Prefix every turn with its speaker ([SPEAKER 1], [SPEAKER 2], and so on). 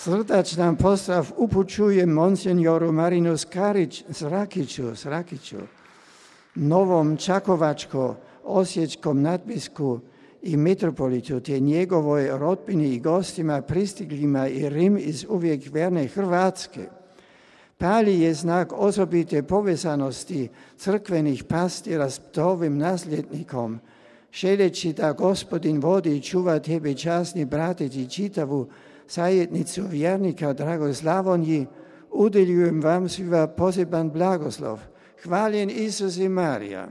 [SPEAKER 1] Srdačan pozdrav upućujem monsenjoru Marinu Srakiću, novom Čakovačko-osječkom nadbisku i mitropolitu, te njegovoj rodbini i gostima pristiglima i Rim iz uvijek vjerne Hrvatske. Pali je znak osobite povezanosti crkvenih pastira s ovim nasljednikom, želeći da Gospodin vodi i čuva tebe, časni bratić, i čitavu zajednicu vjernika, dragoj Slavonji, udjeljujem vam svima poseban blagoslov. Hvaljen Isus i Marija.